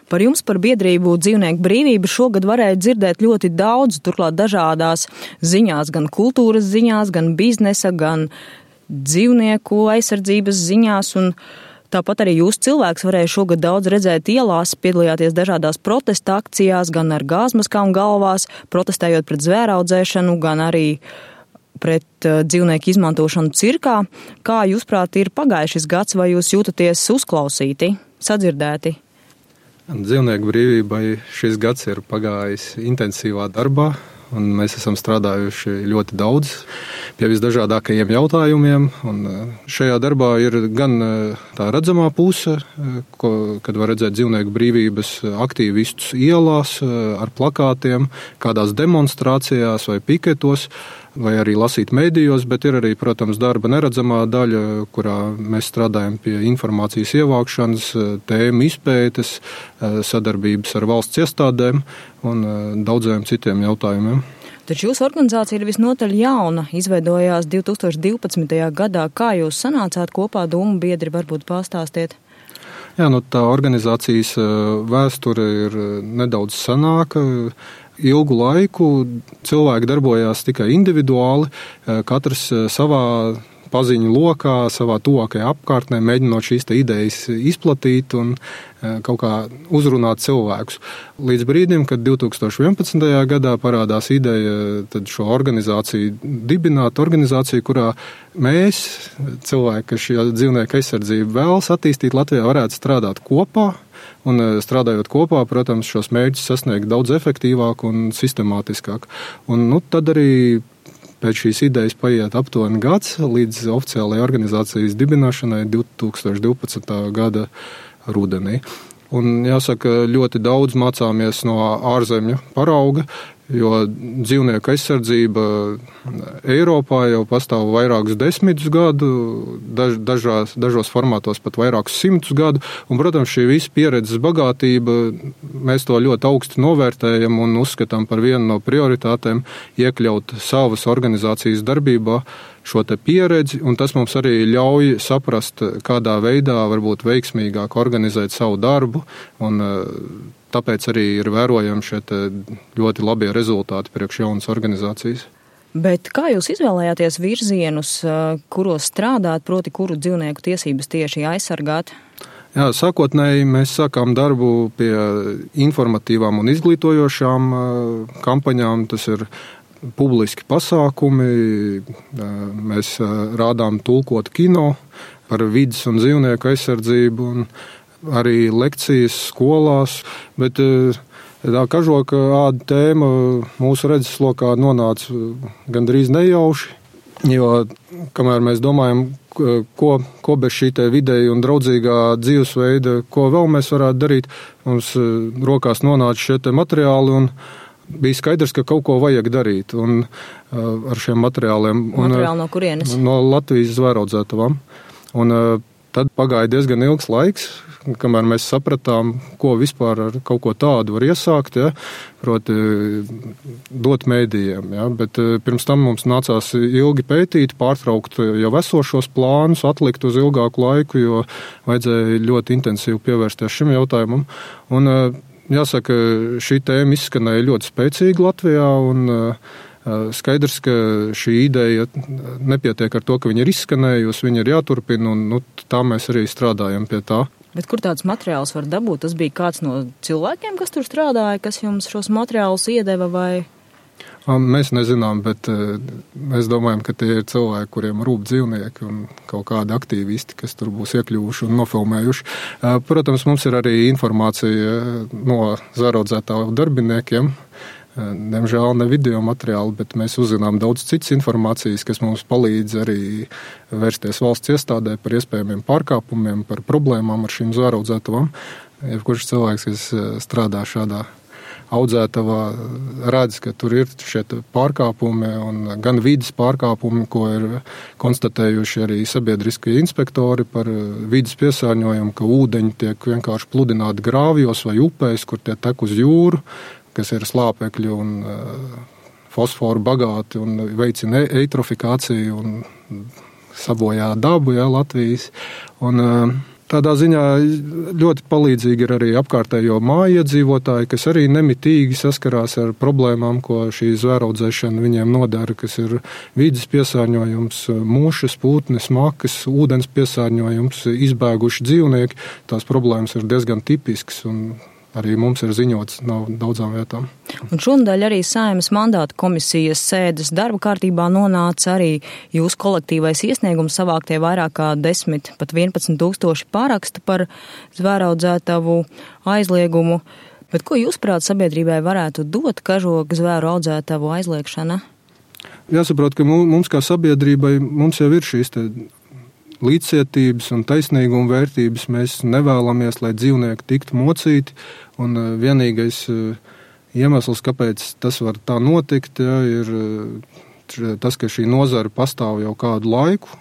Par jums, par biedrību Dzīvnieku brīvība šogad varēja dzirdēt ļoti daudz, turklāt dažādās ziņās, gan kultūras ziņās, gan biznesa, gan dzīvnieku aizsardzības ziņās, un tāpat arī jūs cilvēks varēja šogad daudz redzēt ielās, piedalījāties dažādās protesta akcijās, gan ar gāzmaskām galvās, protestējot pret zvēraudzēšanu, gan arī pret dzīvnieku izmantošanu cirkā. Kā jūsprāt ir pagājušis gads, vai jūs jūtaties uzklausīti, sadzirdēti? Dzīvnieku brīvībai šis gads ir pagājis intensīvā darbā, un mēs esam strādājuši ļoti daudz pie visdažādākajiem jautājumiem. Un šajā darbā ir gan tā redzamā puse, kad var redzēt dzīvnieku brīvības aktīvistus ielās ar plakātiem, kādās demonstrācijās vai piketos, vai arī lasīt medijos, bet ir arī, protams, darba neredzamā daļa, kurā mēs strādājam pie informācijas ievākšanas, tēmu izpētes, sadarbības ar valsts iestādēm un daudziem citiem jautājumiem. Taču jūsu organizācija ir visnotaļ jauna, izveidojās 2012. gadā. Kā jūs sanācāt kopā domu biedri, varbūt pastāstiet? Jā, tā organizācijas vēsture ir nedaudz senāka. Ilgu laiku cilvēki darbojās tikai individuāli, katrs savā paziņu lokā, savā tuvākajā apkārtnē, mēģinot šīs idejas izplatīt un kaut kā uzrunāt cilvēkus. Līdz brīdim, kad 2011. gadā parādās ideja tad šo organizāciju dibināt, organizāciju, kurā mēs, cilvēki, kas šī dzīvnieku aizsardzību vēlas attīstīt Latvijā, varētu strādāt kopā. Un strādājot kopā, protams, šos mērķus sasniegt daudz efektīvāk un sistemātiskāk. Un tad arī pēc šīs idejas paiet aptuveni gads līdz oficiālajai organizācijas dibināšanai 2012. gada rudenī. Un jāsaka, ļoti daudz mācāmies no ārzemju parauga, jo dzīvnieku aizsardzība Eiropā jau pastāv vairākus desmitus gadu, dažos formātos pat vairākus simtus gadu, un, protams, šī visa pieredzes bagātība, mēs to ļoti augstu novērtējam un uzskatām par vienu no prioritātēm iekļaut savas organizācijas darbībā šo te pieredzi, un tas mums arī ļauj saprast, kādā veidā varbūt veiksmīgāk organizēt savu darbu, un tāpēc arī ir vērojami šie ļoti labie rezultāti priekš jaunas organizācijas. Bet kā jūs izvēlējāties virzienus, kuros strādāt, proti kuru dzīvnieku tiesības tieši aizsargāt? Jā, sākotnēji mēs sākām darbu pie informatīvām un izglītojošām kampaņām. Tas ir publiski pasākumi, mēs rādām tulkotu kino par vides un dzīvnieku aizsardzību un arī lekcijas skolās, bet tā kažoka āda tēma mūsu redzeslokā nonāca gandrīz nejauši, jo kamēr mēs domājam, ko bez šī te vidēja un draudzīgā dzīvesveida, ko vēl mēs varētu darīt, mums rokās nonāca šie te materiāli un bija skaidrs, ka kaut ko vajag darīt un ar šiem materiāliem. Materiāli no kurienes? No Latvijas zvēraudzētavām. Un tad pagāja diezgan ilgs laiks, kamēr mēs sapratām, ko vispār ar kaut ko tādu var iesākt, ja, proti dot mēdījiem. Ja, bet pirms tam mums nācās ilgi pētīt, pārtraukt jau esošos plānus, atlikt uz ilgāku laiku, jo vajadzēja ļoti intensīvi pievērsties šim jautājumam. Un jāsaka, šī tēma izskanēja ļoti spēcīgi Latvijā, un skaidrs, ka šī ideja nepietiek ar to, ka viņa ir izskanējusi, viņa ir jāturpina, un tā mēs arī strādājam pie tā. Bet kur tāds materiāls var dabūt? Tas bija kāds no cilvēkiem, kas tur strādāja, kas jums šos materiālus iedeva vai? Mēs nezinām, bet mēs domājam, ka tie ir cilvēki, kuriem rūp dzīvnieki un kaut kādi aktīvisti, kas tur būs iekļuvuši un nofilmējuši. Protams, mums ir arī informācija no zvēraudzētāju darbiniekiem. Diemžēl ne video materiāli, bet mēs uzzinām daudz citas informācijas, kas mums palīdz arī vērsties valsts iestādē par iespējamiem pārkāpumiem, par problēmām ar šīm zvēraudzētavām. Jebkurš cilvēks, kas strādā šādā audzētavā, redz, ka tur ir šie pārkāpumi un gan vides pārkāpumi, ko ir konstatējuši arī sabiedriskie inspektori par vides piesārņojumu, ka ūdeņi tiek vienkārši pludināti grāvjos vai upēs, kur tie tek uz jūru, kas ir slāpekļi un fosforu bagāti un veicina eitrofikāciju un sabojā dabu, ja, Latvijas. Un Tādā ziņā ļoti palīdzīgi ir arī apkārtējo māju iedzīvotāji, kas arī nemitīgi saskarās ar problēmām, ko šī zvēraudzēšana viņiem nodara, kas ir vides piesārņojums, mušas, putnes, makas, ūdens piesārņojums, izbēguši dzīvnieki. Tās problēmas ir diezgan tipiskas un arī mums ir ziņots no daudzām vietām. Un šonadēļ arī Saeimas mandāta komisijas sēdes darba kārtībā nonāca arī jūsu kolektīvais iesniegums savāktie vairāk kā 10, pat 11 tūkstoši parakstu par zvēraudzētavu aizliegumu. Bet ko jūs prāt sabiedrībai varētu dot kažoku zvēru audzētavu aizliegšana? Jāsaprot, ka mums kā sabiedrībai mums jau ir šīs līdzcietības un taisnīguma vērtības. Mēs nevēlamies, lai dzīvnieki tiktu mocīti, un vienīgais iemesls, kāpēc tas var tā notikt, ir tas, ka šī nozara pastāv jau kādu laiku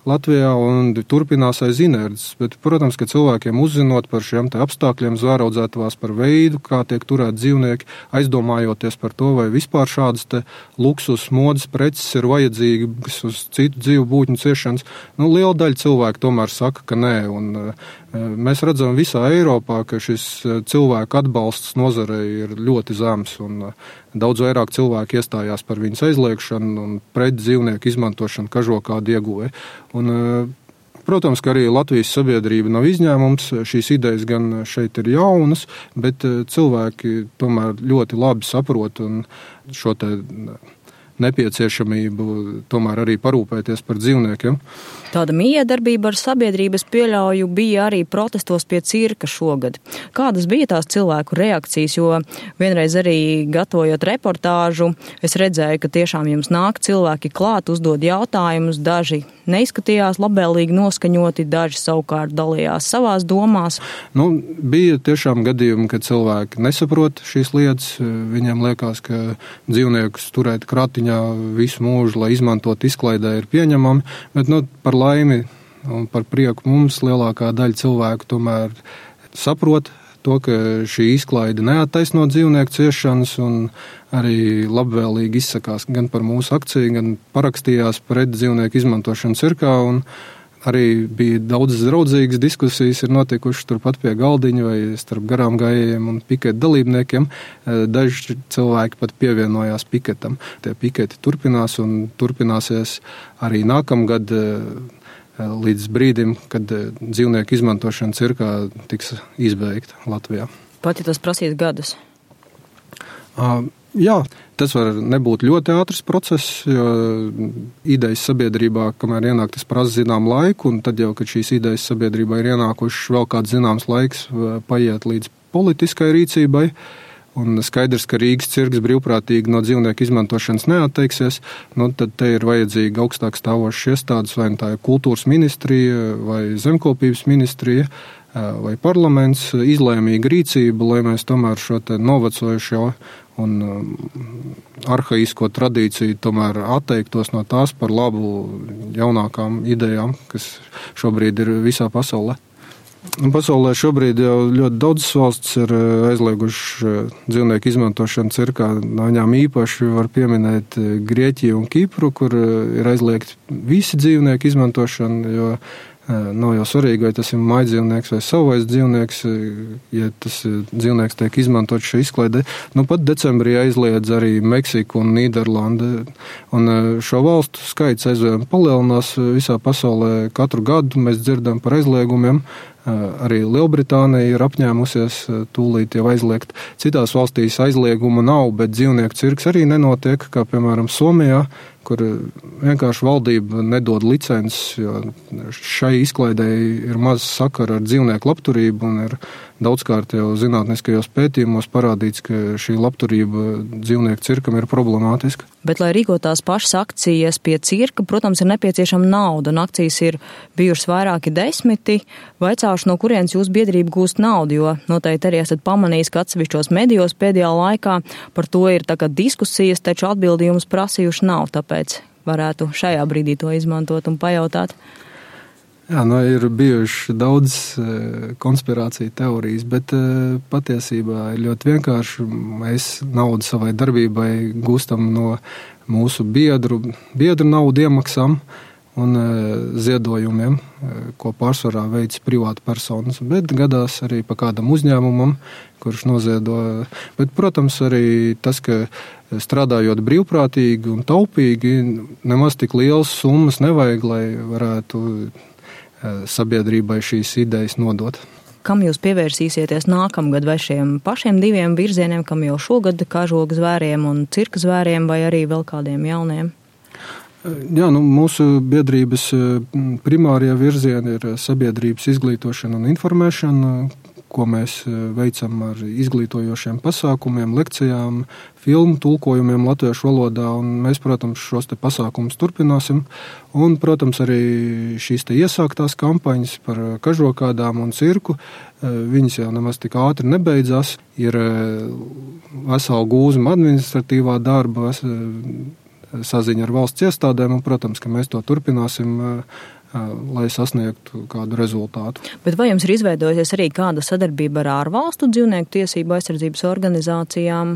Latvijā un turpinās aiz inerces. Bet, protams, ka cilvēkiem uzzinot par šiem apstākļiem zvēraudzētavās, par veidu, kā tiek turēt dzīvnieki, aizdomājoties par to, vai vispār šādas luksus modes preces ir vajadzīgas uz citu dzīvu būtņu ciešanas, liela daļa cilvēku tomēr saka, ka nē. Un mēs redzam visā Eiropā, ka šis cilvēku atbalsts nozarei ir ļoti zems un daudz vairāk cilvēku iestājās par viņas aizliegšanu un pret dzīvnieku izmantošanu kažokādu ieguvēju. Un, protams, ka arī Latvijas sabiedrība nav izņēmums. Šīs idejas gan šeit ir jaunas, bet cilvēki tomēr ļoti labi saprot un šo nepieciešamību tomēr arī parūpēties par dzīvniekiem. Tāda miedarbība ar sabiedrības pieļauju bija arī protestos pie cirka šogad. Kādas bija tās cilvēku reakcijas, jo vienreiz arī gatavojot reportāžu, es redzēju, ka tiešām jums nāk cilvēki klāt, uzdod jautājumus, daži neizskatījās labvēlīgi noskaņoti, daži savukārt dalījās savās domās. Bija tiešām gadījumi, kad cilvēki nesaprot šīs lietas, viņiem liekas, ka dzīvniekus turēt kratiņā visu mūžu, lai izmantot izklaidē, ir pieņemami, bet par laimi un par prieku mums lielākā daļa cilvēku tomēr saprot to, ka šī izklaide neattaisno dzīvnieku ciešanas un arī labvēlīgi izsakās gan par mūsu akciju, gan parakstījās pret dzīvnieku izmantošanu cirkā, un arī bija daudzas draudzīgas diskusijas ir notikušas turpat pie galdiņa vai starp garām gājējiem un piketa dalībniekiem. Daži cilvēki pat pievienojās piketam. Tie piketi turpinās un turpināsies arī nākamgad līdz brīdim, kad dzīvnieku izmantošana cirkā tiks izbeigta Latvijā. Pat ja tas prasīs gadus? Jā, tas var nebūt ļoti ātrs process, jo idejas sabiedrībā, kamēr ienāk, tas prasa zinām laiku, un tad jau, kad šīs idejas sabiedrībā ir ienākušas, vēl kāds zināms laiks paiet līdz politiskai rīcībai, un skaidrs, ka Rīgas cirks brīvprātīgi no dzīvnieku izmantošanas neatteiksies, tad te ir vajadzīga augstāk stāvošas iestādes, vai tā ir kultūras ministrija, vai zemkopības ministrija, vai parlaments, izlēmīga rīcība, lai mēs tomēr šo novecojušo un arhaisko tradīciju tomēr atteiktos no tās par labu jaunākām idejām, kas šobrīd ir visā pasaulē. Pasaulē šobrīd jau ļoti daudzas valstis ir aizliegušas dzīvnieku izmantošanu cirkā. No viņām īpaši var pieminēt Grieķiju un Kipru, kur ir aizliegti visi dzīvnieku izmantošanu, jo nav jau svarīgi, vai tas ir mājdzīvnieks vai savvaļas dzīvnieks, ja tas dzīvnieks tiek izmantot šī izklaidē. Pat decembrī aizliedz arī Meksika un Nīderlanda, un šo valstu skaits aizvien palielinās visā pasaulē. Katru gadu mēs dzirdam par aizliegumiem. Arī Lielbritānija ir apņēmusies tūlīt jau aizliegt. Citās valstīs aizlieguma nav, bet dzīvnieku cirks arī nenotiek, kā piemēram Somijā, kur vienkārši valdība nedod licences, jo šai izklaidēji ir maz sakara ar dzīvnieku labturību un ir daudzkārt jau zinātniskajos pētījumos parādīts, ka šī labturība dzīvnieku cirkam ir problemātiska. Bet, lai rīkotās pašas akcijas pie cirka, protams, ir nepieciešama nauda, un akcijas ir bijušas vairāki 10. Vaicāšu, no kurienes jūsu biedrība gūst naudu, jo noteikti arī esat pamanījis, ka atsevišķos medijos pēdējā laikā par to ir diskusijas, taču atbildījumus prasījuši nav, tāpēc varētu šajā brīdī to izmantot un pajautāt. Jā, ir bijuši daudz konspirāciju teorijas, bet patiesībā ir ļoti vienkārši. Mēs naudu savai darbībai gūstam no mūsu biedru naudu iemaksām, un ziedojumiem, ko pārsvarā veids privāta personas, bet gadās arī pa kādam uzņēmumam, kurš noziedo. Bet, protams, arī tas, ka strādājot brīvprātīgi un taupīgi, nemaz tik lielas summas nevajag, lai varētu sabiedrībai šīs idejas nodot. Kam jūs pievērsīsieties nākamgad, vai šiem pašiem 2 virzieniem, kam jau šogad kažogu zvēriem un cirka zvēriem, vai arī vēl kādiem jauniem? Jā, mūsu biedrības primārie virzieni ir sabiedrības izglītošana un informēšana, ko mēs veicam ar izglītojošiem pasākumiem, lekcijām, filmu tulkojumiem latviešu valodā, un mēs, protams, šos te pasākumus turpināsim. Un, protams, arī šīs te iesāktās kampaņas par kažokādām un cirku, viņas jau nemaz tik ātri nebeidzās. Ir vesela gūzma administratīvā darba, saziņa ar valsts iestādēm, un, protams, ka mēs to turpināsim, lai sasniegtu kādu rezultātu. Bet vai jums ir izveidojusies arī kāda sadarbība ar ārvalstu dzīvnieku tiesību aizsardzības organizācijām?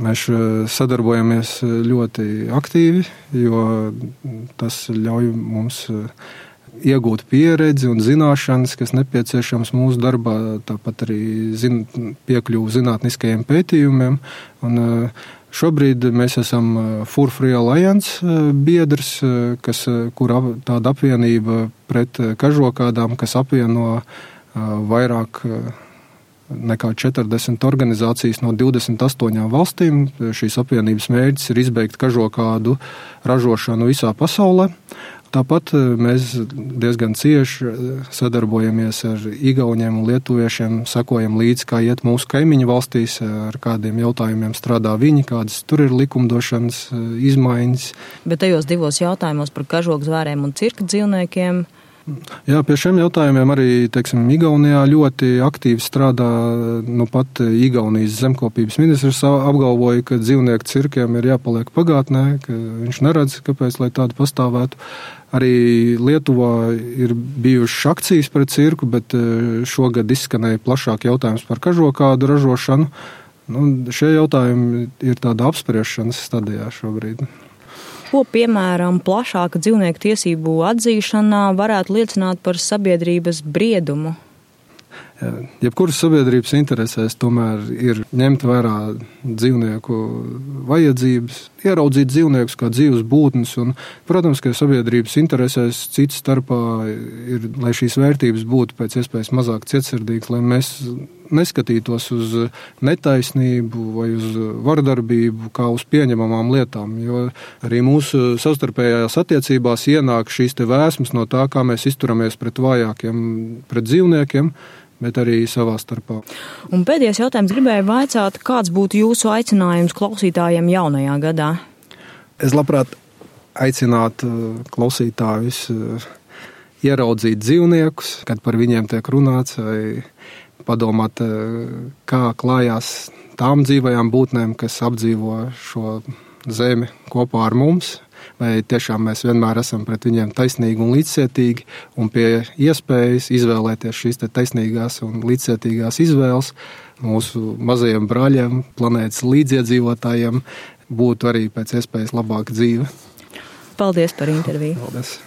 Mēs sadarbojamies ļoti aktīvi, jo tas ļauj mums iegūt pieredzi un zināšanas, kas nepieciešams mūsu darbā, tāpat arī piekļuvu zinātniskajiem pētījumiem. Un šobrīd mēs esam Fur Free Alliance biedrs, kur tāda apvienība pret kažokādām, kas apvieno vairāk nekā 40 organizācijas no 28 valstīm. Šīs apvienības mērķis ir izbeigt kažokādu ražošanu visā pasaulē. Tāpat mēs diezgan cieši sadarbojamies ar igauņiem un lietuviešiem, sekojam līdzi, kā iet mūsu kaimiņu valstīs, ar kādiem jautājumiem strādā viņi, kādas tur ir likumdošanas izmaiņas. Bet tajos 2 jautājumos par kažogu zvēriem un cirka dzīvniekiem. Jā, pie šiem jautājumiem arī, Igaunijā ļoti aktīvi strādā, pat Igaunijas zemkopības ministrs apgalvoja, ka dzīvnieku cirkiem ir jāpaliek pagātnē, ka viņš neredz, kāpēc, lai tādu pastāvētu. Arī Lietuvā ir bijušas akcijas pret cirku, bet šogad izskanēja plašāk jautājums par kažokādu ražošanu. Šie jautājumi ir tāda apspriešanas stadijā šobrīd. Ko, piemēram, plašāka dzīvnieku tiesību atzīšanā varētu liecināt par sabiedrības briedumu? Jebkuras sabiedrības interesēs tomēr ir ņemt vērā dzīvnieku vajadzības, ieraudzīt dzīvniekus kā dzīvus būtnes, un, protams, ka sabiedrības interesēs cits starpā ir, lai šīs vērtības būtu pēc iespējas mazāk cietsirdīgas, lai mēs neskatītos uz netaisnību vai uz vardarbību kā uz pieņemamām lietām, jo arī mūsu savstarpējās attiecībās ienāk šīs te vēsmas no tā, kā mēs izturamies pret vājākiem, pret dzīvniekiem, bet arī savā starpā. Un pēdējais jautājums gribēju vaicāt, kāds būtu jūsu aicinājums klausītājiem jaunajā gadā? Es labprāt aicinātu klausītājus ieraudzīt dzīvniekus, kad par viņiem tiek runāts, vai padomāt, kā klājās tām dzīvajām būtnēm, kas apdzīvo šo zemi kopā ar mums, vai tiešām mēs vienmēr esam pret viņiem taisnīgi un līdzcietīgi, un pie iespējas izvēlēties šīs te taisnīgās un līdzcietīgās izvēles mūsu mazajiem brāļiem, planētas līdziedzīvotājiem būtu arī pēc iespējas labāka dzīve. Paldies par interviju. Paldies.